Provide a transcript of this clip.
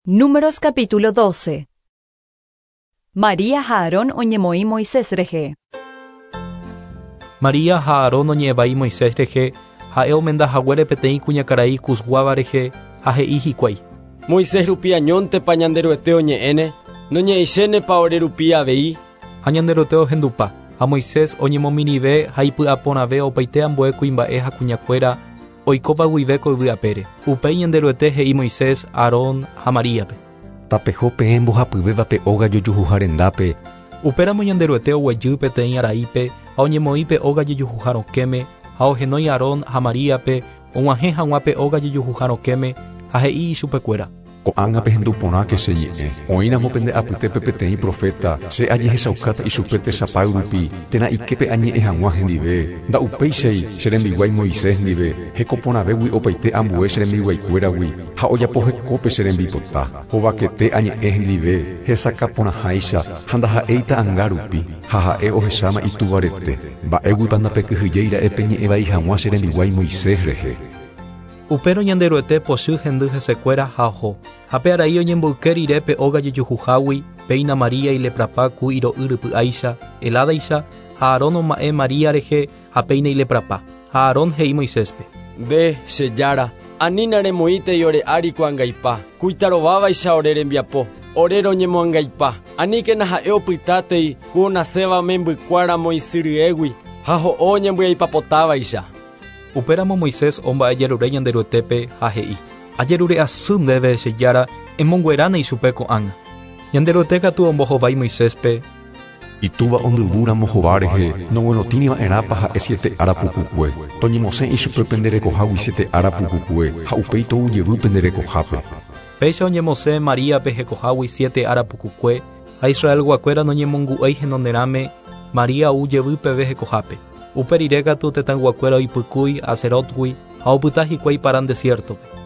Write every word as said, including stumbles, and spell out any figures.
Números capítulo doce. María ha Aarón oñemoĩ Moisés rehe. María ha Aarón oñe'ẽvai Moisés rehe, ha'e omenda haguére peteĩ kuñakarai Cusguáva rehe ha he'i hikuái. Moisés rupi añóntepa Ñanderuete oñe'ẽne, noñe'ẽichénepa ore rupi avei. Ha Ñanderuete ohendupa, ha Moisés oñemomirĩve ha ipy'aporãve opaite ambue kuimba'e ha kuñakuéra oikóva guive ko yvy apére. Upéi Ñanderuete he'i Moisés, Aarón ha Maríape. Tapeho peẽ mbohapyvéva pe óga jojuhuha rendápe. Upéramo Ñanderuete oguejy peteĩ araípe ha oñemoĩ pe óga jojuhuha rokẽme ha ohenói Aarón ha Maríape og̃uahẽ hag̃ua pe óga jojuhuha rokẽme ha he'i ichupekuéra. Ko'ág̃a pehendu porãke che ñe'ẽ. Oĩramo pende apytépe peteĩ profeta, che ajehechaukáta ichupe tesapay rupi, térã iképe añe'ẽ hag̃ua hendive. Nda'upéichai che rembiguái Moisés ndive, hekoporãvégui opaite ambue che rembiguaikuéragui, ha ojapo hekópe che rembipota. Hovakete añe'ẽ hendive, hesakãporãháicha, ha ndaha'éi ta'ãnga rupi, ha ha'e ohecháma itúvarete. Mba'éguipa ndapekyhyjeira'e peñe'ẽvai hag̃ua che rembiguái Moisés rehe. Upérõ Ñanderuete pochy hendy hesekuéra ha oho. Ha pe arai oñemboyke rire pe óga jojuhuhágui, péina María ileprapa ku iro'y rypy'áicha, heládaicha, ha Aarón oma'ẽ María rehe ha péina ileprapa. Ha Aarón he'i Moiséspe. Nde, che jára, anína remoĩtei ore ári ko angaipa, kuitarovávaicha ore rembiapo, ore roñemoangaipa, aníkena ha'e opytátei ku onaséva membykuáramo isy ryégui, ha ho'o oñembyaipapotávaicha. Upéramo Moisés omba'ejerure Ñanderuetépe ha he'i. Ajerure asy ndéve che jára emongueráne ichupe ko'ág̃a. Ñanderuete katu ombohovái Moiséspe. Itúva ondyvúramo hova rehe, noguerotĩriva'erãpa ha'e siete ára pukukue. Toñemosẽ ichupe pende rekohágui siete ára pukukue, ha upéi tou jevy pende rekohápe. Péicha oñemosẽ Maríape hekohágui siete ára pukukue, ha Israelguakuéra noñemongu'éi henonderãme, María ou jevy peve hekohápe. Upe rire katu tetãyguakuéra oipykúi Haserotgui ha opyta hikuái Parán desiertope.